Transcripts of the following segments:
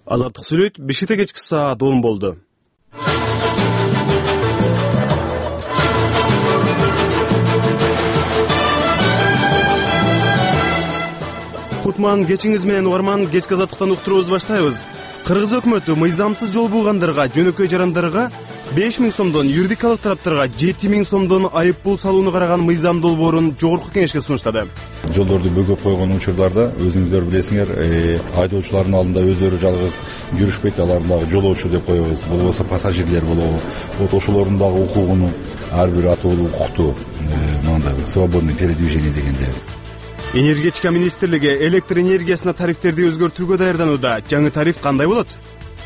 Азаттык сүйлөйт, Бишкекте кечки саат 10 болду. Кутман, кечиңиз менен угарман, кечки азаттыктан уктуруубузду баштайбыз. Кыргыз өкмөтү мыйзамсыз жол буйгандарга, жөнөкөй жарандарга 5000 сомдон, юридикалык тараптарга 7000 сомдон айып пул салууну караган мыйзам долбоорун жогорку кеңешке сунуштады. Жолдорду бөгөп койгон учурларда өзүңүздөр билесиңер, айдоочулардын алдында өздөрү жалгыз жүрүшпөйт, аларды дагы жолоочу деп коебуз. Болбосо пассажирлер болобу. Вот ошолордун дагы укугуну ар бир атуулуу укукту мындай свободный передвижение дегенде. Энергетика министрлиги электр энергиясына тарифтерди өзгөртүүгө даярданууда. Жаңы тариф кандай болот?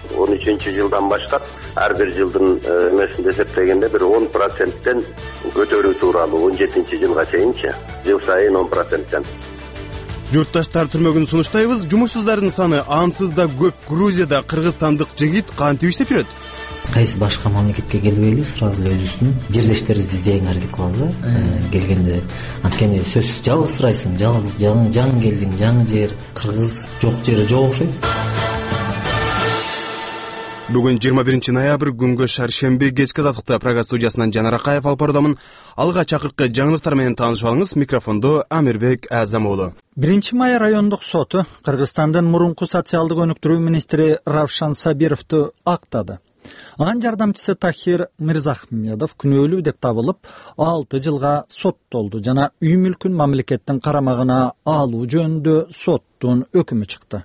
13-жылдан баштап ар бир жылдын эмесинде эсептегенде бир 10%тен көтөрүү тууралуу 17-жылга чейинчи жыл сайын 10%тен. Журтташтар түрмөгүн сунуштайбыз. Жумушсуздардын саны ансыз да көп. Грузияда кыргызстандык жигит кантип иштеп жүрөт? Кайсы башка мамлекетке келбейли, сразу эле өзүбүздүн жердештерибизди издегенге аракет кылабыз. Келгенде анткени сөзсүз жалгыз сурайсың, жалгыз жаңы келдиң, жаңы жер, кыргыз жок жери жок окшойт. Бүгүн 21 ноябрь күнгө шаршемби, кечки азаттыкта программа студиясынан Жанар Акаев алып баруудамын. Алга чакыркы жаңылыктар менен таанышып алыңыз. Микрофондо Амирбек Азамоğlu. 1 май райондук соту Кыргызстандын мурунку социалдык өнүктүрүү министри Равшан Сабировду актады. Анын жардамчысы Тахир Мирзахмедов күнөөлүү деп табылып 6 жылга соттолду жана үй мүлкүн мамлекеттин карамагына алуу жөнүндө соттун өкүмү чыкты.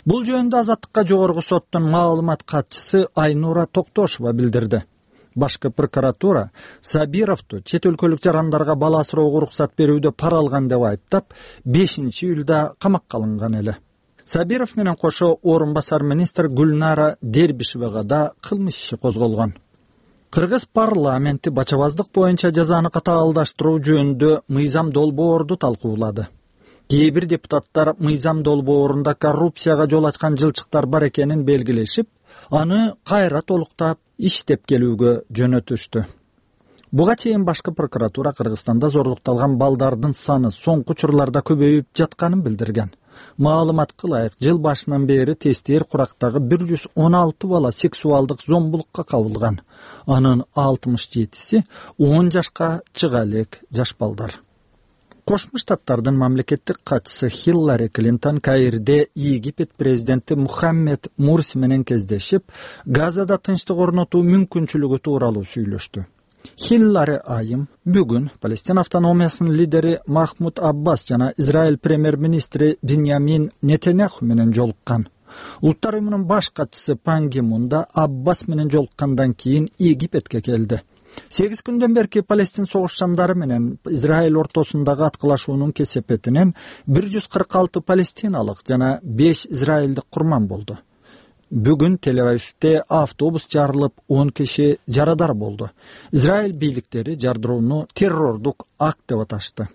Бул жөнүндө Азаттыкка жогорку соттун маалымат катчысы Айнура Токтошова билдирди. Башкы прокуратура Сабировду чет өлкөлүк жарандарга бала асыроого уруксат берүүдө пара алган деп айыптап 5-июлда камакка алынган эле. Сабиров менен кошо орун басар министр Гүлнара Дербишевага да кылмыш иши козголгон. Кыргыз парламенти бачабаздык боюнча жазаны катаалдаштыруу жөнүндө мыйзам долбоорду талкуулады. Кээ бир депутаттар мыйзам долбоорунда коррупцияга жол ачкан жылчыктар бар экенин белгилешип, аны кайра толуктап иштеп келүүгө жөнөтүштү. Буга чейин башкы прокуратура Кыргызстанда зорлукталган балдардын саны соңку учурларда көбөйүп жатканын билдирген. Маалымат кылайык, жыл башынан бери тестер курактагы 116 бала сексуалдык зомбулукка кабылган. Анын 67си 10 жашка чыга элек жаш балдар. Кошмо Штаттардын мамлекеттик катчысы Хиллари Клинтон Каирде Египет президенти Мухаммед Мурси менен кездешип, Газада тынчтык орнотуу мүмкүнчүлүгү тууралуу сүйлөштү. Хиллари айым бүгүн Палестина автономиясынын лидери Махмуд Аббас жана Израиль премьер-министри Биньямин Нетаньяху менен жолуккан. Улуттар уюмунун баш катчысы Пан Ги Мун да Аббас менен жолуккандан кийин Египетке келди. 8 күндөн берки Палестин согушчандары менен Израиль ортосундагы аткылашуунун кесепетинен 146 палестиналык жана 5 израилдик курман болду. Бүгүн Тель-Авивде автобус жарылып 10 киши жарадар болду. Израиль бийликтери жардырууну террордук акт деп аташты.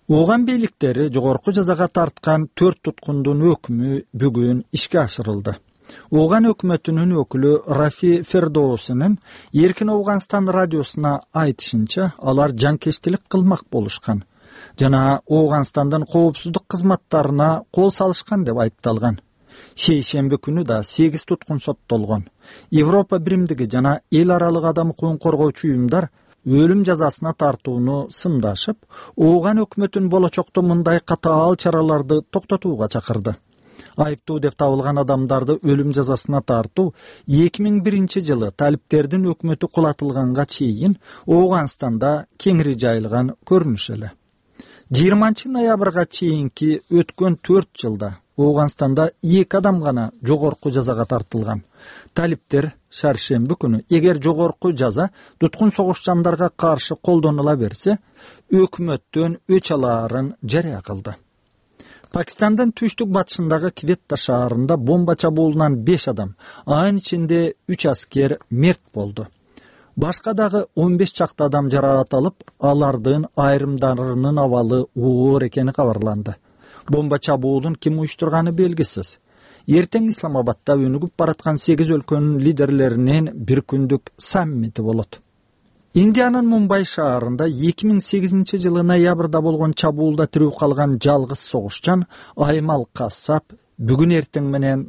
Ооган бийликтери жогорку жазага тарткан 4 туткундун өкмү бүгүн ишке ашырылды. Ооган өкмөтүнүн өкүлү Рафи Фердоусунун Эркин Ооганстан радиосуна айтышынча, алар жанкечтилик кылмак болушкан жана Ооганстандын коопсуздук кызматтарына кол салышкан деп айыпталган. Шейшемби күнү да 8 туткун соттолгон. Европа биримдиги жана эл аралык адам укугун коргоочу уюмдар өлүм жазасына тартууну сындашып, Ооган өкмөтүн болочокто мындай катаал чараларды токтотууга чакырды. Айыптуу деп табылган адамдарды өлүм жазасына тартуу 2001 жылы талиптердин өкмөтү кулатылганга чейин Ооганстанда кеңири жайылган көрүнүш эле. 20 ноябрга чейинки өткөн 4 жылда Ооганстанда 2 адам гана жогорку жазага тартылган. Талиптер шаршемби күнү эгер жогорку жаза туткун согушчандарга каршы колдонула берсе, өкмөттөн өч алаарын жарыя кылды. Пакистандын түштүк батышындагы Кветта шаарында бомба чабуулунан 5 адам, анын ичинде 3 аскер мерт болду. Башка дагы 15 чакты адам жараат алып, алардын айрымдарынын абалы оор экени кабарланды. Бомба чабуулун ким уюштурганы белгисиз. Эртең Исламабадда өнүгүп бараткан 8 өлкөнүн лидерлеринин бир күндүк саммити болот. Индиянын Мумбай шаарында 2008 жылы ноябрда болгон чабуулда тирүү калган жалгыз согушчан Аймал Кассап бүгүн эртең менен